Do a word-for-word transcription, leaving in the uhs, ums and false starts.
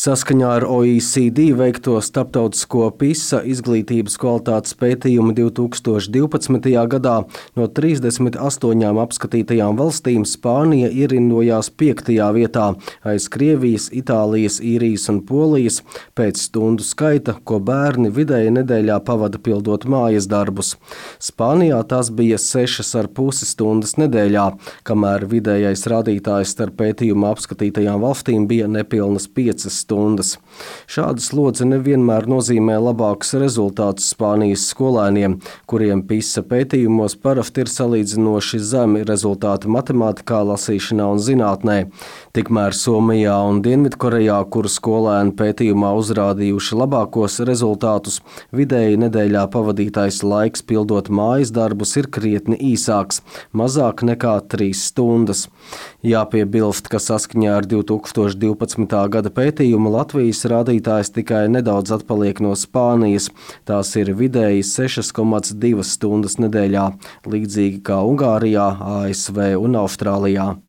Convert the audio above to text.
Saskaņā ar O E C D veikto starptautisko PISA izglītības kvalitātes pētījumu divi tūkstoši divpadsmitajā gadā no trīsdesmit astoņām apskatītajām valstīm Spānija ierindojās piektajā vietā aiz Krievijas, Itālijas, Īrijas un Polijas pēc stundu skaita, ko bērni vidēji nedēļā pavada pildot mājas darbus. Spānijā tas bija sešas ar pusi stundas nedēļā, kamēr vidējais rādītājs starp pētījuma apskatītajām valstīm bija nepilnas piecas stundas. Šāda slodze nevienmēr nozīmē labākus rezultātus Spānijas skolēniem, kuriem PISA pētījumos parasti ir salīdzinoši zemi rezultāti matemātikā, lasīšanā un zinātnē. Tikmēr Somijā un Dienvidkorejā, kuru skolēni pētījumā uzrādījuši labākos rezultātus, vidēji nedēļā pavadītais laiks pildot mājas darbus ir krietni īsāks – mazāk nekā trīs stundas. Jāpiebilst, ka saskaņā ar divi tūkstoši divpadsmitā gada pētījumu Latvijas rādītājs tikai nedaudz atpaliek no Spānijas. Tās ir vidēji sešas komats divas stundas nedēļā, līdzīgi kā Ungārijā, A S V un Austrālijā.